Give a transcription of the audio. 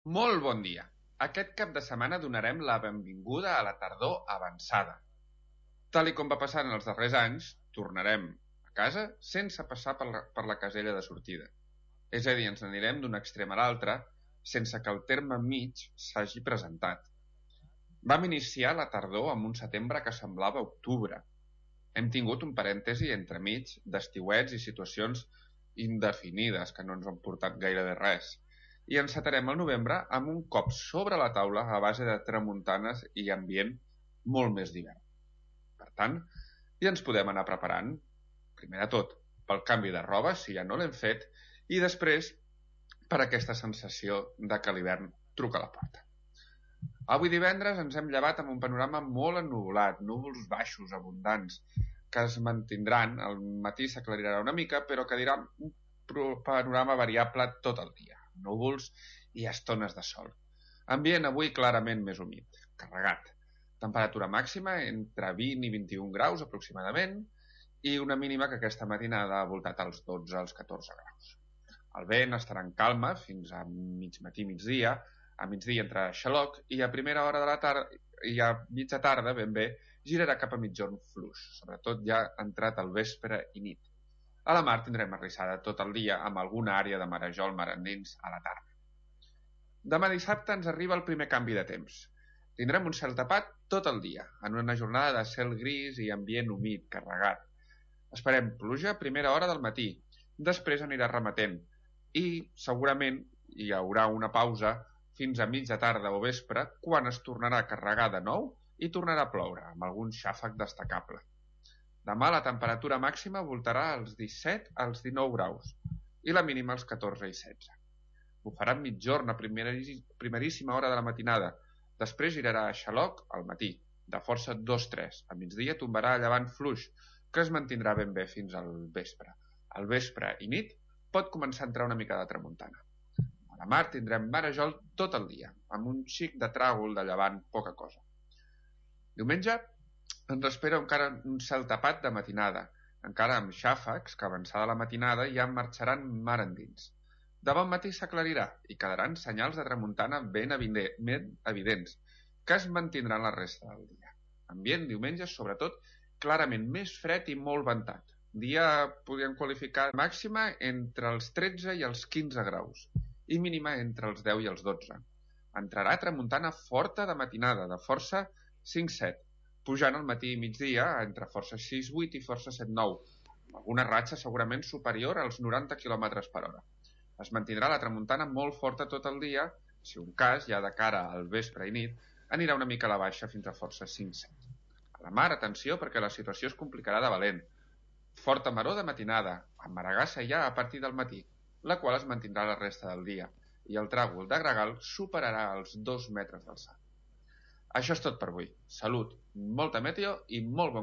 Molt bon dia. Aquest cap de setmana donarem la benvinguda a la tardor avançada. Tal i com va passar en els darrers anys, tornarem a casa sense passar per la casella de sortida. És a dir, ens n'anirem d'un extrem a l'altre sense que el terme mig s'hagi presentat. Vam iniciar la tardor amb un setembre que semblava octubre. Hem tingut un parèntesi entremig d'estiuets i situacions indefinides que no ens han portat gairebé res. I encetarem el novembre amb un cop sobre la taula a base de tramuntanes i ambient molt més d'hivern. Per tant, ja ens podem anar preparant, primer de tot, pel canvi de roba, si ja no l'hem fet, i després per aquesta sensació de que l'hivern truca a la porta. Avui divendres ens hem llevat amb un panorama molt ennuvolat, núvols baixos, abundants, que es mantindran, al matí s'aclarirà una mica, però que dirà un panorama variable tot el dia, núvols i estones de sol. Ambient avui clarament més humit, carregat. Temperatura màxima entre 20 i 21 graus aproximadament i una mínima que aquesta matinada ha voltat als 12 als 14 graus. El vent estarà en calma fins a mig matí, migdia, a migdia entre xaloc i a primera hora de la tarda i a mitja tarda ben bé girarà cap a mitjorn fluix, sobretot ja entrat al vespre i nit. A la mar tindrem arrissada tot el dia amb alguna àrea de marejol marandins a la tarda. Demà dissabte ens arriba el primer canvi de temps. Tindrem un cel tapat tot el dia, en una jornada de cel gris i ambient humit, carregat. Esperem pluja a primera hora del matí, després anirà remetent i segurament hi haurà una pausa fins a mitja tarda o vespre quan es tornarà a carregar de nou i tornarà a ploure, amb algun xàfec destacable. Demà la temperatura màxima voltarà als 17 als 19 graus i la mínima als 14 i 16. Bufarà mitjorn a primeríssima hora de la matinada, després girarà a xaloc al matí, de força 2-3. A migdia tombarà a llevant fluix, que es mantindrà ben bé fins al vespre. Al vespre i nit pot començar a entrar una mica de tramuntana. A la mar tindrem marejol tot el dia, amb un xic de tràgol de llevant, poca cosa. Diumenge ens espera encara un cel tapat de matinada, encara amb xàfecs que avançada la matinada ja marxaran mar endins. De bon matí s'aclarirà i quedaran senyals de tramuntana ben evidents, que es mantindran la resta del dia. Ambient diumenge, sobretot, clarament més fred i molt ventat. Dia podríem qualificar màxima entre els 13 i els 15 graus i mínima entre els 10 i els 12. Entrarà tramuntana forta de matinada, de força 5-7, pujant al matí i migdia entre força 6-8 i força 7-9, amb alguna ratxa segurament superior als 90 km per hora. Es mantindrà la tramuntana molt forta tot el dia, si un cas, ja de cara al vespre i nit, anirà una mica a la baixa fins a força 5-7. A la mar, atenció, perquè la situació es complicarà de valent. Forta maror de matinada, amb maragassa ja a partir del matí, la qual es mantindrà la resta del dia, i el tràgol de gregal superarà els 2 metres d'alçada. Això és tot per avui. Salut, molta meteo i molt bon